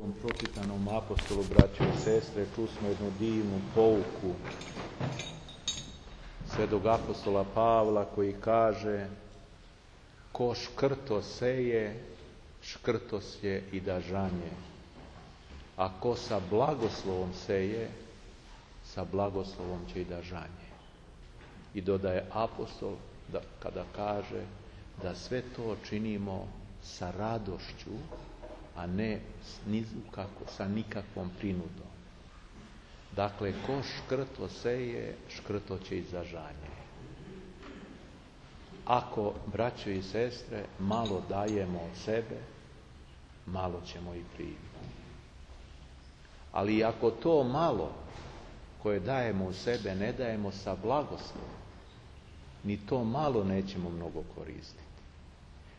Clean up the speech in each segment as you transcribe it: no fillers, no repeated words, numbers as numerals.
U pročitanom apostolu, braćo i sestre, čusmo jednu divnu pouku svetog apostola Pavla koji kaže: ko škrto seje, škrto sje i da žanje, a ko sa blagoslovom seje, sa blagoslovom će i da žanje. I dodaje apostol kada kaže da sve to činimo sa radošću, a ne sa nikakvom prinudom. Dakle, ko škrto seje, škrto će i za žanje. Ako, braćo i sestre, malo dajemo od sebe, malo ćemo i primiti. Ali ako to malo koje dajemo u sebe ne dajemo sa blagoslovom, ni to malo nećemo mnogo koristiti.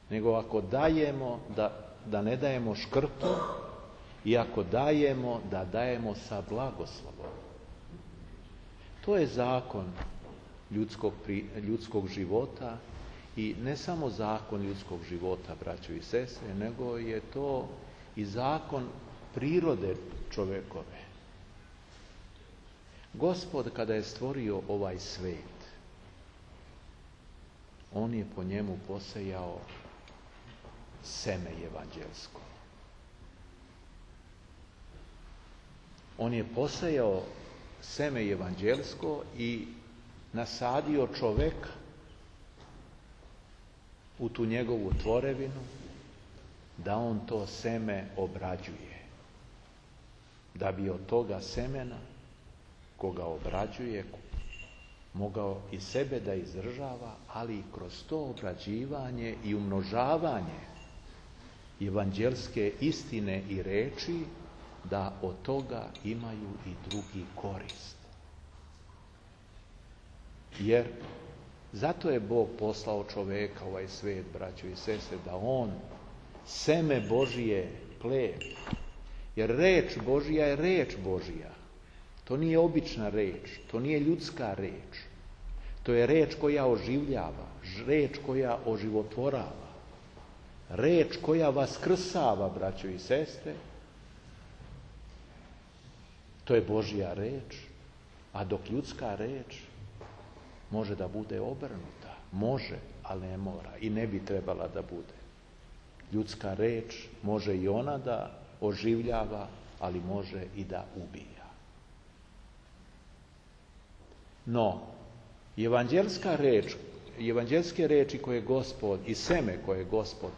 Nego ako dajemo, da ne dajemo škrto, i ako dajemo, da dajemo sa blagoslovom. To je zakon ljudskog života, i ne samo zakon ljudskog života, braćo i sestre, nego je to i zakon prirode čovekove. Gospod, kada je stvorio ovaj svet, on je po njemu posejao seme evanđelsko. On je posejao seme evanđelsko i nasadio čoveka u tu njegovu tvorevinu, da on to seme obrađuje. Da bi od toga semena, koga obrađuje, mogao i sebe da izdržava, ali i kroz to obrađivanje i umnožavanje evanđelske istine i reči, da od toga imaju i drugi korist. Jer zato je Bog poslao čoveka u ovaj svet, braćo i sestre, da on seme Božije kleje. Jer reč Božija je reč Božija. To nije obična reč, to nije ljudska reč. To je reč koja oživljava, reč koja oživotvorava, reč koja vaskrsava, braćo i sestre. To je Božja reč, a dok ljudska reč može da bude obrnuta. Može, ali ne mora i ne bi trebala da bude. Ljudska reč može i ona da oživljava, ali može i da ubija. No, evanđelske reči koje Gospod i seme koje Gospod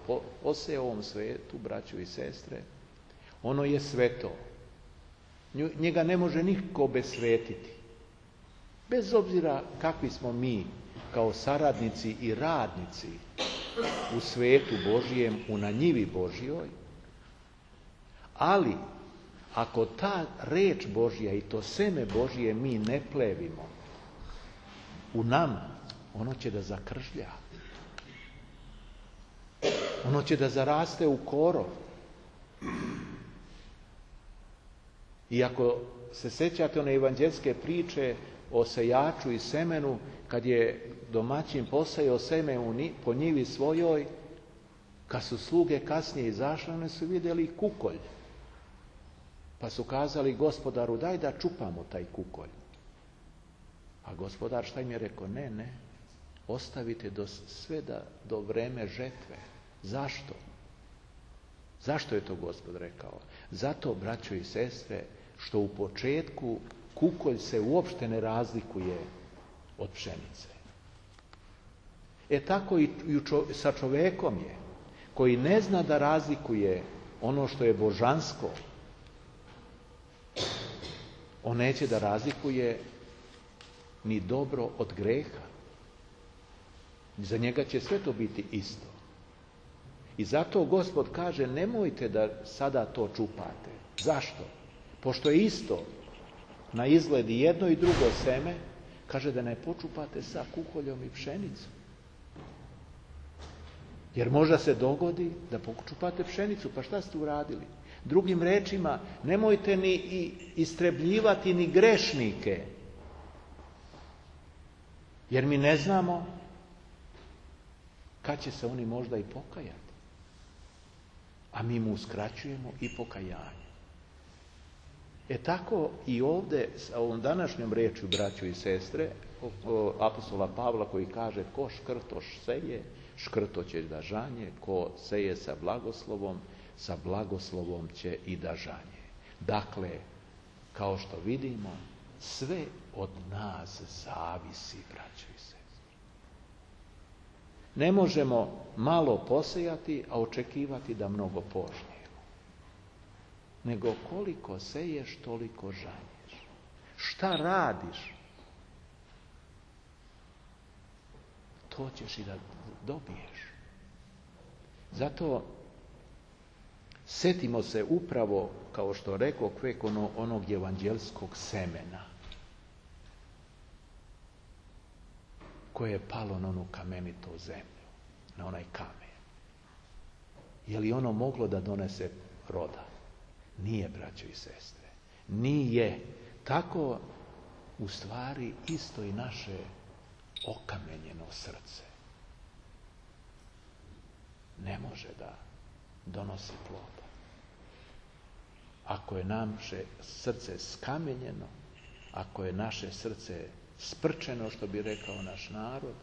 posejao u ovom svetu, braćo i sestre, ono je sveto. Njega ne može niko obesvetiti. Bez obzira kakvi smo mi kao saradnici i radnici u svetu Božijem, na njivi Božjoj, ali ako ta reč Božja i to seme Božje mi ne plevimo u nama, ono će da zakržlja. Ono će da zaraste u korov. I ako se sjećate one evanđelske priče o sejaču i semenu, kad je domaćin posejao seme po njivi svojoj, kad su sluge kasnije izašle, one su vidjeli kukolj. Pa su kazali gospodaru: daj da čupamo taj kukolj. A gospodar šta im je rekao? Ne, ostavite sve do vreme žetve. Zašto? Zašto je to Gospod rekao? Zato, braćo i sestre, što u početku kukolj se uopšte ne razlikuje od pšenice. Tako i sa čovekom je, koji ne zna da razlikuje ono što je božansko. On neće da razlikuje ni dobro od greha. Za njega će sve to biti isto. I zato Gospod kaže: nemojte da sada to čupate. Zašto? Pošto je isto na izgled i jedno i drugo seme, kaže da ne počupate sa kukoljom i pšenicom. Jer možda se dogodi da počupate pšenicu, pa šta ste uradili? Drugim rečima, nemojte ni istrebljivati ni grešnike, jer mi ne znamo kad će se oni možda i pokajati. A mi mu uskraćujemo i pokajanje. Tako i ovdje sa ovom današnjom riječju, braćo i sestre, apostola Pavla koji kaže ko škrtoš seje, škrto će da žanje, ko seje sa blagoslovom će i da žanje. Dakle, kao što vidimo, sve od nas zavisi, braćo i sestre. Ne možemo malo posejati, a očekivati da mnogo požnjemo. Nego koliko seješ, toliko žanješ. Šta radiš, to ćeš i da dobiješ. Zato setimo se upravo, kao što rekao Kvek, onog evanđelskog semena koje je palo na onu kamenitu zemlju, na onaj kamen. Je li ono moglo da donese roda? Nije, braćo i sestre. Nije. Tako u stvari isto i naše okamenjeno srce ne može da donosi ploda. Ako je naše srce skamenjeno, ako je naše srce sprčeno, što bi rekao naš narod,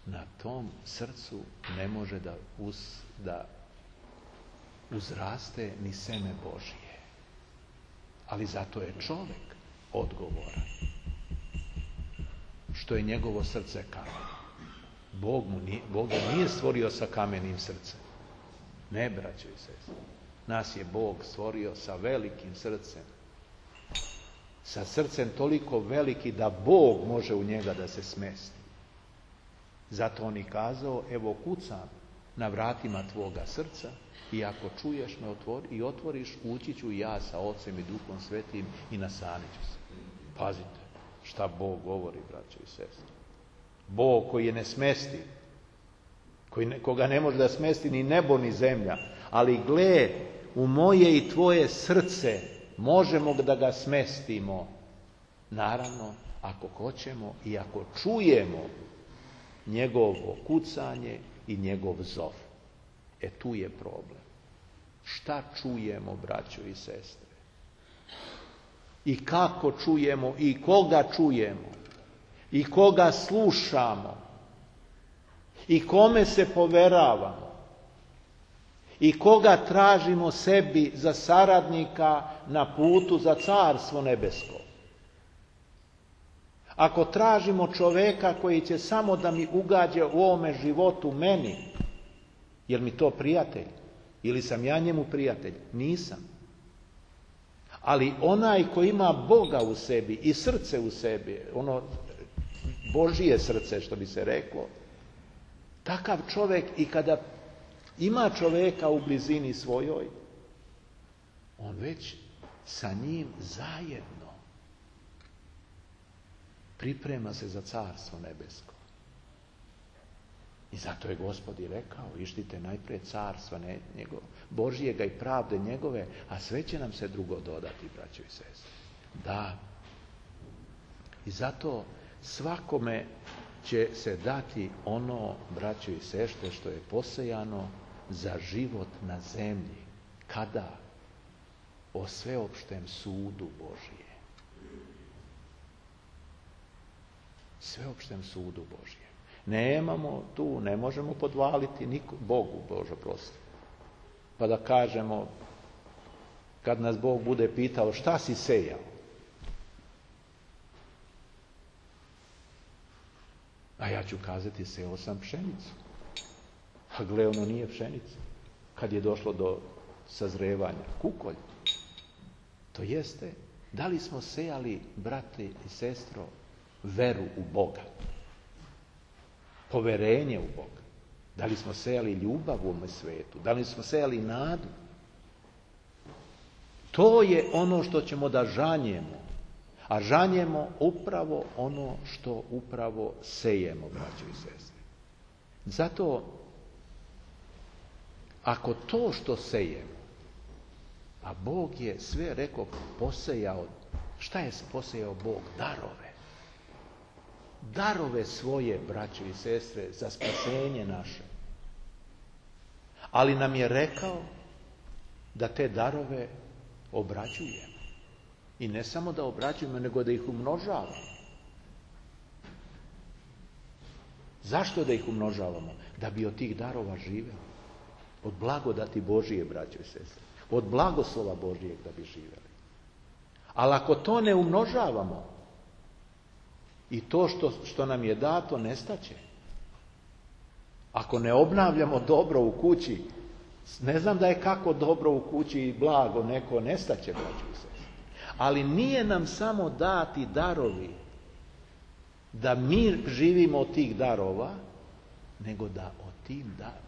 na tom srcu ne može da uzraste ni seme Božije. Ali zato je čovjek odgovoran što je njegovo srce kamen. Bog ga nije stvorio sa kamenim srcem. Ne, braćo i sestre. Nas je Bog stvorio sa velikim srcem. Sa srcem toliko veliki da Bog može u njega da se smesti. Zato on i kazao, evo kucam na vratima tvoga srca i ako čuješ me i otvoriš, ući ću ja sa Ocem i Duhom Svetim i nastanit ću se. Pazite šta Bog govori, braćo i sestre. Bog koji je nesmestiv, koga ne može da smesti ni nebo ni zemlja, ali gle, u moje i tvoje srce možemo da ga smestimo. Naravno, ako hoćemo i ako čujemo njegovo kucanje i njegov zov. Tu je problem. Šta čujemo, braćo i sestre? I kako čujemo i koga čujemo? I koga slušamo? I kome se poveravamo? I koga tražimo sebi za saradnika na putu za Carstvo nebesko? Ako tražimo čoveka koji će samo da mi ugađa u ovome životu meni, je li mi to prijatelj? Ili sam ja njemu prijatelj? Nisam. Ali onaj koji ima Boga u sebi i srce u sebi, ono Božije srce, što bi se reklo, takav čovjek i kada ima čovjeka u blizini svojoj, on već sa njim zajedno priprema se za Carstvo nebesko. I zato je Gospod i rekao, ištite najprije carstva Božijega i pravde njegove, a sve će nam se drugo dodati, braćo i sestre. Da. I zato svakome će se dati ono, braćo i sestre, što je posejano za život na zemlji. Kada? O sveopštem sudu Božije. Sveopštem sudu Božije. Nemamo tu, ne možemo podvaliti Bogu, Bože prosti. Pa da kažemo, kad nas Bog bude pitao šta si sejao? A ja ću kazati, sejao sam pšenicu. A gle, ono nije pšenica. Kad je došlo do sazrevanja, kukolj. To jeste, da li smo sejali, brate i sestro, veru u Boga? Poverenje u Boga. Da li smo sejali ljubav u ovome svetu? Da li smo sejali nadu? To je ono što ćemo da žanjemo. A žanjemo upravo ono što upravo sejemo, braćo i sestre. Zato, ako to što sejemo, a Bog je sve, rekao, posejao, šta je posejao Bog? Darove. Darove svoje, braćo i sestre, za spasenje naše. Ali nam je rekao da te darove obrađujemo. I ne samo da obrađujemo, nego da ih umnožavamo. Zašto da ih umnožavamo? Da bi od tih darova živeli. Od blagodati Božije, braćo i sestre. Od blagoslova Božijeg da bi živeli. Ali ako to ne umnožavamo, i to što nam je dato nestaće. Ako ne obnavljamo dobro u kući, ne znam da je kako dobro u kući i blago neko nestaće, braćo i sestre. Ali nije nam samo dati darovi da mi živimo od tih darova, nego da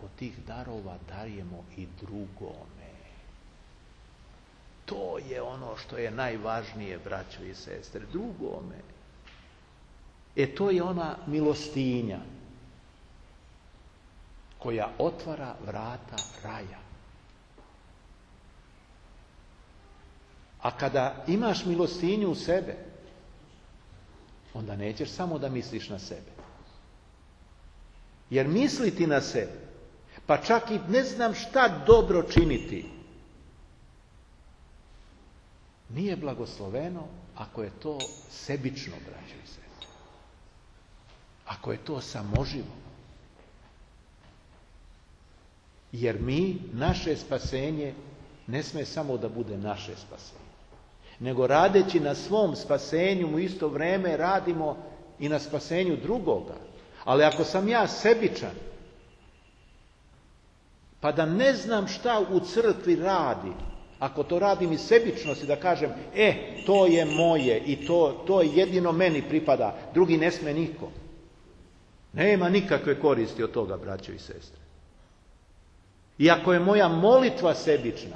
od tih darova dajemo i drugome. To je ono što je najvažnije, braćo i sestre, drugome. To je ona milostinja koja otvara vrata raja. A kada imaš milostinju u sebe, onda nećeš samo da misliš na sebe. Jer misliti na sebe, pa čak i ne znam šta dobro činiti, nije blagosloveno ako je to sebično, braćo i sestre. Ako je to samoživo. Jer naše spasenje ne sme samo da bude naše spasenje. Nego radeći na svom spasenju u isto vrijeme radimo i na spasenju drugoga. Ali ako sam ja sebičan, pa da ne znam šta u crkvi radi, ako to radim iz sebičnosti, da kažem, to je moje i to jedino meni pripada, drugi ne sme niko. Nema nikakve koristi od toga, braćo i sestre. I ako je moja molitva sebična,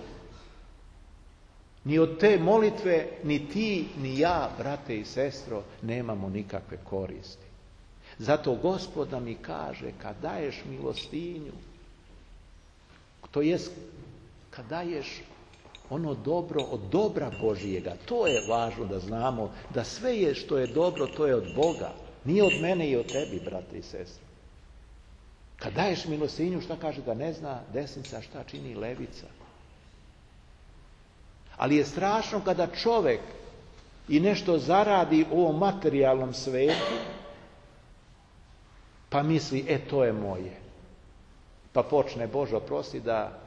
ni od te molitve, ni ti, ni ja, brate i sestro, nemamo nikakve koristi. Zato Gospod nam i kaže, kad daješ milostinju, to jest, kad daješ ono dobro od dobra Božijega, to je važno da znamo, da sve je što je dobro, to je od Boga. Nije od mene i od tebi, brate i sestre. Kad daješ milostinju, šta kaže? Da ne zna desnica šta čini levica. Ali je strašno kada čovjek i nešto zaradi u ovom materijalnom svetu, pa misli, to je moje. Pa počne, Bože oprosti, da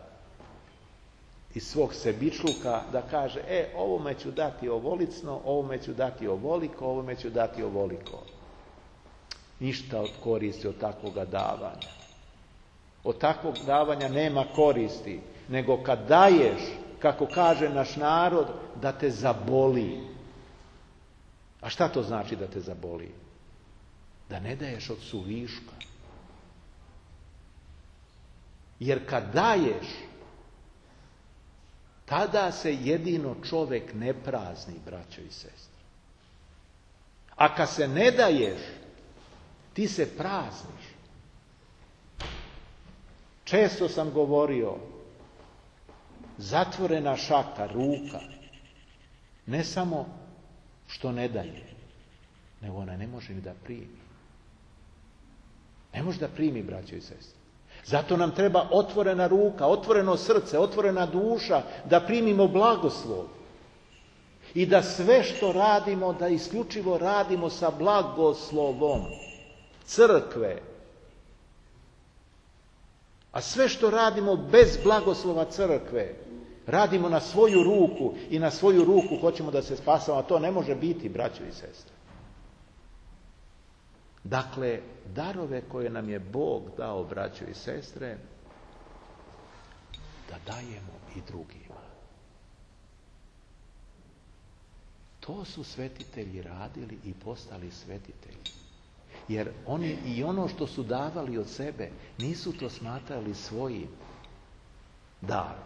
iz svog sebičluka da kaže, ovome ću dati ovolicno, ovome ću dati ovoliko, ovome ću dati ovoliko. Ništa od koristi od takvoga davanja. Od takvog davanja nema koristi, nego kad daješ, kako kaže naš narod, da te zaboli. A šta to znači da te zaboli? Da ne daješ od suviška. Jer kad daješ, tada se jedino čovjek ne prazni, braćo i sestre. A kad se ne daješ, ti se prazniš. Često sam govorio, zatvorena šaka, ruka, ne samo što ne daje, nego ona ne može ni da primi. Ne može da primi, braćo i sestre. Zato nam treba otvorena ruka, otvoreno srce, otvorena duša, da primimo blagoslov. I da sve što radimo, da isključivo radimo sa blagoslovom crkve. A sve što radimo bez blagoslova crkve, radimo na svoju ruku i na svoju ruku hoćemo da se spasamo, a to ne može biti, braćo i sestre. Dakle, darove koje nam je Bog dao, braćo i sestre, da dajemo i drugima. To su svetitelji radili i postali svetitelji. Jer oni i ono što su davali od sebe, nisu to smatrali svojim darom,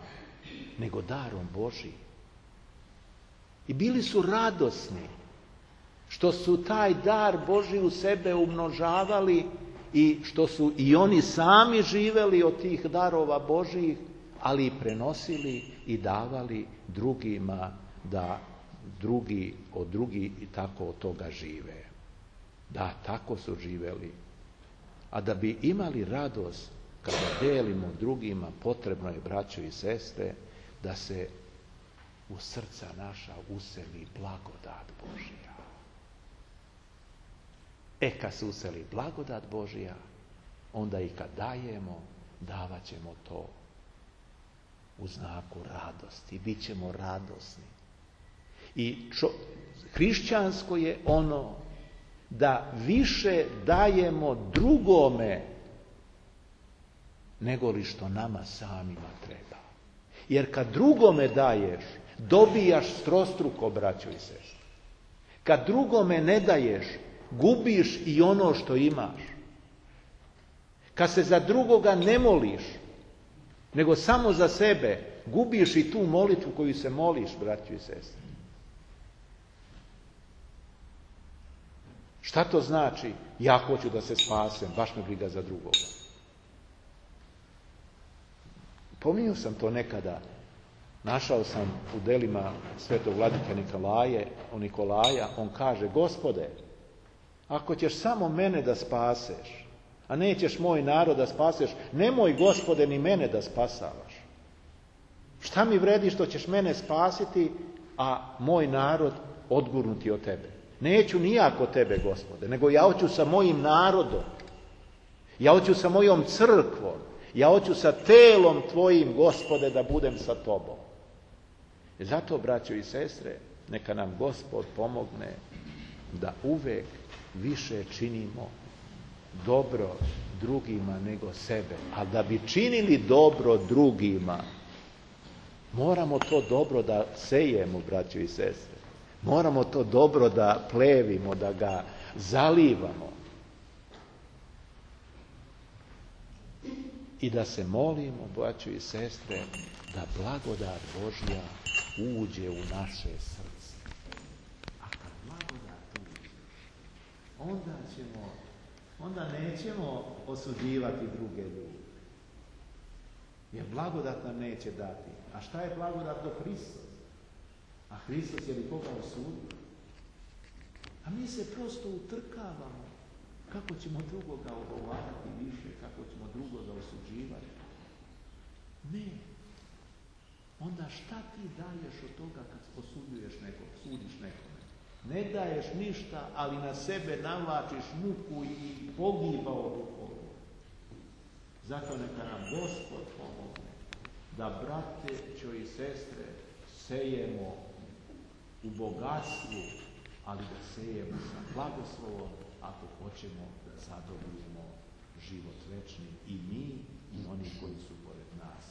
nego darom Božijim. I bili su radosni što su taj dar Božji u sebe umnožavali i što su i oni sami živeli od tih darova Božjih, ali i prenosili i davali drugima da drugi i tako od toga žive. Da, tako su živeli. A da bi imali radost kada delimo drugima, potrebno je, braćo i sestre, da se u srca naša useli blagodat Božja. Kad se useli blagodat Božja, onda i kad dajemo, davat ćemo to u znaku radosti. Bit ćemo radosni. I hrišćansko je ono da više dajemo drugome nego li što nama samima treba. Jer kad drugome daješ, dobijaš strostruko, braćo i sestre. Kad drugome ne daješ, gubiš i ono što imaš. Kad se za drugoga ne moliš, nego samo za sebe, gubiš i tu molitvu koju se moliš, braćo i sestre. Šta to znači? Ja hoću da se spasem, baš me briga za drugoga. Pominjao sam to nekada. Našao sam u delima svetog vladike Nikolaja, on kaže: Gospode, ako ćeš samo mene da spaseš, a nećeš moj narod da spaseš, nemoj, Gospode, ni mene da spasavaš. Šta mi vredi što ćeš mene spasiti, a moj narod odgurnuti od tebe? Neću nijako tebe, Gospode, nego ja hoću sa mojim narodom, ja hoću sa mojom crkvom, ja hoću sa telom tvojim, Gospode, da budem sa tobom. I zato, braćo i sestre, neka nam Gospod pomogne da uvek više činimo dobro drugima nego sebe. A da bi činili dobro drugima, moramo to dobro da sejemo, braćo i sestre. Moramo to dobro da plevimo, da ga zalivamo. I da se molimo, braćo i sestre, da blagodat Božja uđe u naše srce. A kad blagodat uđe, onda nećemo osuđivati druge ljude. Jer blagodat nam neće dati. A šta je blagodat do Hristos? A Hristos je li koga osudio? A mi se prosto utrkavamo kako ćemo drugoga ogovarati više, kako ćemo drugoga osuđivati. Ne. Onda šta ti daješ od toga kad osuđuješ nekog, sudiš nekome? Ne daješ ništa, ali na sebe navlačiš muku i pogibao duhovno. Zato neka nam Gospod pomogne da, braćo i sestre, sejemo u bogatstvu, ali da sejemo sa blagoslovom ako hoćemo da zadobijemo život večni i mi i oni koji su pored nas.